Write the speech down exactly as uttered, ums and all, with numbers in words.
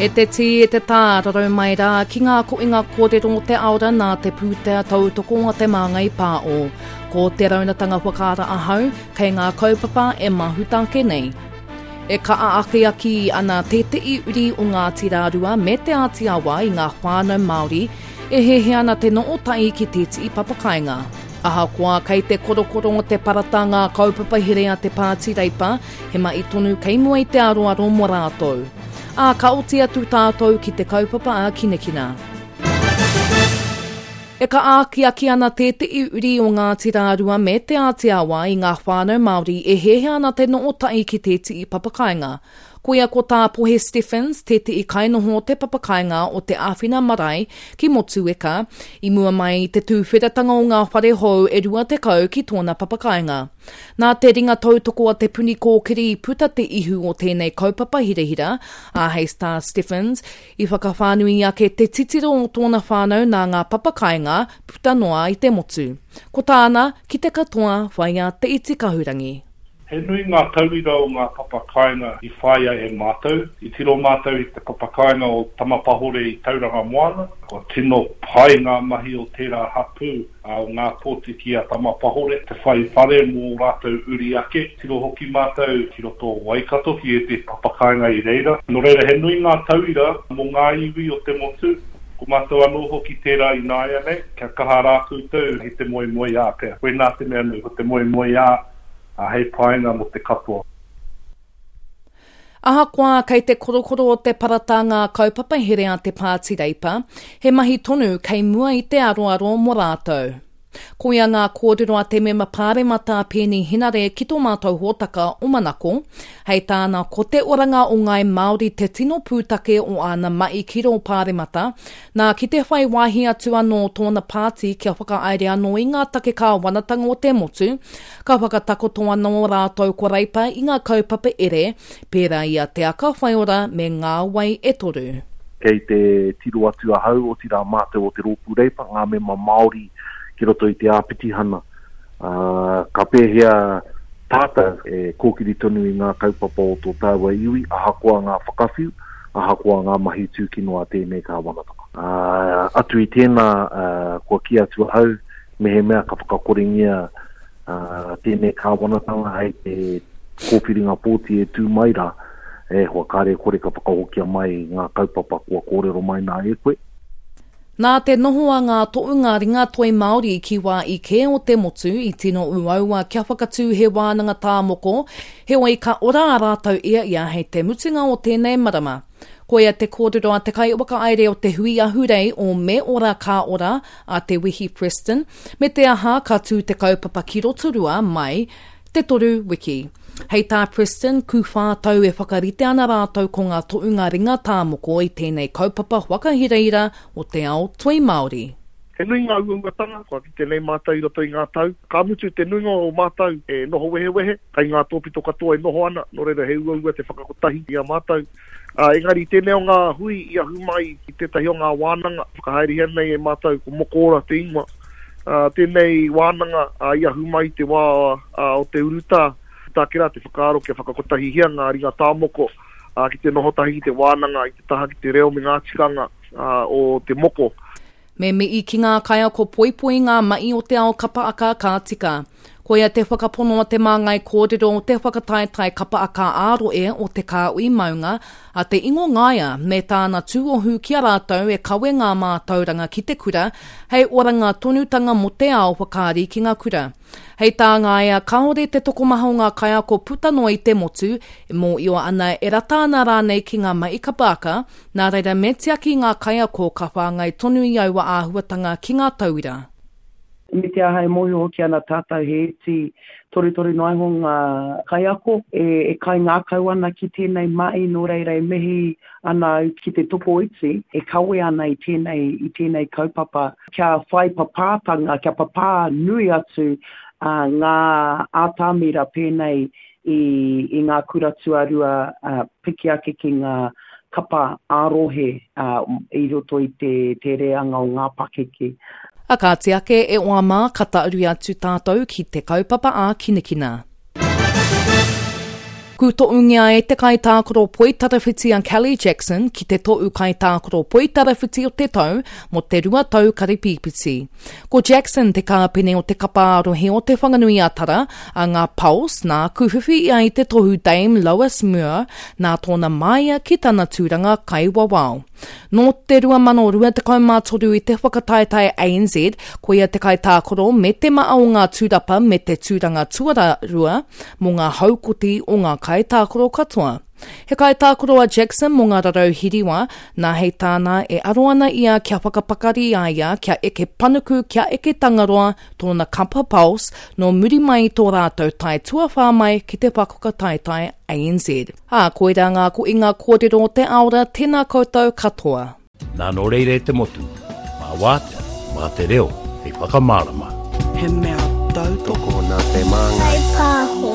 E te tī, e te tā, rarau mai rā ki ngā koinga kōrero o te aora nā te pūtea tautoko a Te Māngai Pāo. Ko te raunatanga whakaara ahau, kei ngā kaupapa e mahuta ake nei. E kaa akiaki ana tētehi uri o Ngāti Rārua me Te Āti Awa i ngā whānau Māori e hehe ana te noo tai ki tētehi papakainga. Ahakoa kei te korokoro o te parata ngā kaupapa here a te Pāti Reipa, he mahi tonu kei mua i te aroaro mō rātou. Ā, ka oti atu tātou ki te kaupapa a Kinekina. E ka ākiaki ana tētehi uri o Ngāti Rārua me Te Āti Awa i ngā whānau Māori e hehe ana te noo tai ki tētehi papakainga. Koia ko tā Pohe Stephens, tētehi kainoho o te papakainga o Te Āwhina Marae ki Motueka, i mua mai i te tūwheratanga o ngā whare hou e rua tekau ki tōna papakainga. Nā te ringa tautoko a Te Puni Kōkiri i puta te ihu o tēnei kaupapa hirahira, a hei Star Stephens, i whakawhānui ake te titiro o tōna whānau nā ngā papakainga puta noa i te motu. Ko tāna, ki te katoa, whaia te iti kahurangi. He nui ngā tauira o ngā papakainga i whāia e mātou. I tiro mātou i te papakainga o Tamapahore i Tauranga Moana. Kua tino pai ngā mahi o tērā hapū o ngā pōtiki a Tamapahore te whai whare mō rātou uri ake. Tiro hoki mātou ki roto o Waikato ki ētehi papakainga i reira. Nō reira, he nui ngā tauira mō ngā iwi o te motu. Ko mātou anō hoki tērā ināianei, kia kaha rā koutou i te moemoeā pea. Koinā te mea nui, ko te moemoeā hei painga mō te katoa. Ahakoa kei te korokoro o te parata ngā kaupapa here a te Pāti Reipa, he mahi tonu kei mua i te aroaro mō rātou. Koia ngā kōrero a te mema pāremata Peeni Henare ki tō mātou hōtaka o Manako. Hei tāna ko te oranga o Ngāi Māori te tino pūtake o āna mahi ki rō pāremata, nā ki te whai wāhi atu anō tōna pāti kia whakahaere anō i ngā take kāwanatanga o te motu, ka whakatakoto anō rātou ko Reipa i ngā kaupapa ere, pērā i a Te Aka Whaiora me Ngā Wai e Toru. Kei te tiro atu ahau, otirā mātou o te Rōpū Reipa, ngā mema Māori ki roto i te āpitihana. Uh, ka pēhea tātou e kōkiri tonu i ngā kaupapa o tō tāua iwi, ahakoa ngā whakawhiu, ahakoa ngā mahi tūkino a tēnei kāwanatanga. Uh, atu i tēnā, uh, kua kī atu ahau, mehemea ka whakakorengia uh, tēnei kāwanatanga hei te kōwhiringa pōti e tū mai rā, e hoa kāre kore ka whakahokia mai ngā kaupapa kua kōrero mai nā e koe. Nā te noho a ngā tohunga ringatoi Māori ki wā i kē o te motu i tino uaua kia whakatū he wānanga tāmoko, heoi ka ora a rātou ia ia hei te mutunga o tēnei marama. Koia te kōrero a te kaiwhakahaere o te hui ahurei o Me Ora Ka Ora a Te Wehi Preston, me te aha ka tū te kaupapa ki Rotorua mai te toru wiki. Hei tā Preston, kūwhā tau e whakarite ana rātou ko ngā tohunga ringa tāmoko i tēnei kaupapa whakahiraira o te ao toi Māori. He nui ngā uauatanga, kua kite nei mātou i roto i ngā tau. Ka mutu te nuinga o mātou e noho wehewehe, kai ngā tōpito katoa e noho ana, nō reira he uaua te whakakotahi i a mātou. Uh, engari tēnei o ngā hui i ahu mai i tētahi o ngā wānanga, whakahaerehia nei e mātou ko Mokora te ingoa. Uh, tēnei wānanga uh, i ahu mai te wā uh, o te urutā, tā kera te whakaaro kia whakakotahihia ngā ringa tāmoko uh, ki te noho tahi ki te wānanga, i te taha ki te reo me ngā tikanga uh, o te moko. Me mihi ki ngā kaiako poipoi ngā mahi o te ao kapa aka ka tika. Koia te whakapono a te māngai kōrero o te whakataetae kapa aka ā-roe o Te Kāhui Maunga a Te Ingo Ngaia me tāna tūohu ki a rātou e kawe ngā mātauranga ki te kura hei oranga tonutanga mō te ao whakaari ki ngā kura. Hei tā Ngaia, kāore te tokomaha o ngā kaiako puta noa i te motu e mōhio ana e rata ana rānei ki ngā mahi kapa aka, nā reira me tiaki ngā kaiako ka whāngai tonu i aua āhuatanga ki ngā tauira. Me te aha e mōhio hoki ana tātou he iti torutoru noa iho ngā kaiako e, e kai ngākau ana ki tēnei mahi, nō reira e mihi ana au ki te tokoiti e kawe ana i tēnei, i tēnei kaupapa kia whai papātanga, kia papā nui atu uh, ngā ātamira pēnei i, i ngā kura tuarua uh, piki ake ki ngā kapa ā-rohe uh, i roto i te, te reanga o ngā pakeke. A kāti ake e oa mā ka tauri atu tātou ki te kaupapa ā Kinekina. Kūtoungia e te kaitākaro poitarawhiti a Kelly Jackson ki te tohu kaitākaro poitarawhiti o te tau mō te rua tau karipīpiti. Ko Jackson te kāpene o te kapa ā-rohe o Te Whanganui-a-Tara a ngā Pulse nā kūwhiwhi ia i te tohu Dame Lois Muir nā tōna māia ki tana tūranga kaiwawao. Nō te rua mano rua tekau mā toru i te whakataetae A N Z, koia te kaitākaro me te maa o ngā tūrapa me te tūranga tuararua mō ngā haukoti o ngā kaitākaro katoa. He kaitākaro a Jackson mō ngā rarau hiriwa, nā hei tāna e aro ana ia kia whakapakari a ia kia eke panuku kia eke tangaroa tōna kapa Pulse nō muri mai i tō rātou tae tuawhā mai ki te whakataetae A N Z. Ā, koirā ngā koinga kōrero o te aora, tēnā koutou katoa. Nā nō reira e te motu, mā wātea, mā te reo, hei whakamārama. He mea tautoko nā te māngai. Kai pāho.